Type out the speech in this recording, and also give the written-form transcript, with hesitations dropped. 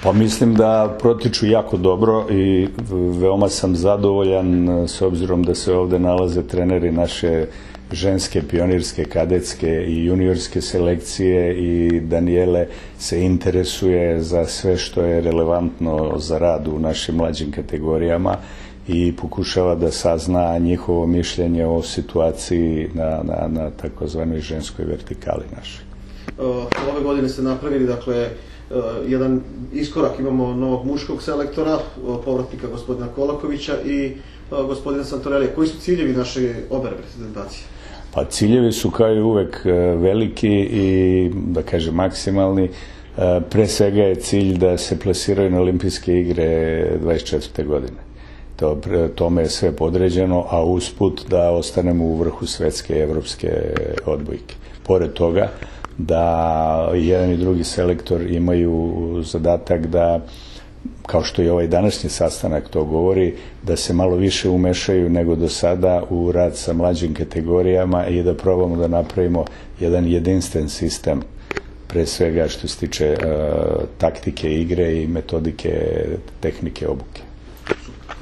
Pa mislim da protiču jako dobro i veoma sam zadovoljan s obzirom da se ovde nalaze treneri naše ženske, pionirske, kadetske i juniorske selekcije i Danijele se interesuje za sve što je relevantno za rad u našim mlađim kategorijama i pokušava da sazna njihovo mišljenje o situaciji na takozvanoj ženskoj vertikali našoj. Ove godine ste napravili, dakle, jedan iskorak, imamo novog muškog selektora, povratnika gospodina Kolakovića i gospodina Santorelija. Koji su ciljevi naše obe reprezentacije? Pa ciljevi su kao i uvek veliki i, da kažem, maksimalni. Pre svega je cilj da se plasiraju na olimpijske igre 24. godine. Tome je sve podređeno, a usput da ostanemo u vrhu svetske i evropske odbojke. Pored toga, da jedan i drugi selektor imaju zadatak da, kao što i ovaj današnji sastanak to govori, da se malo više umešaju nego do sada u rad sa mlađim kategorijama i da probamo da napravimo jedan jedinstven sistem, pre svega što se tiče taktike igre i metodike tehnike obuke.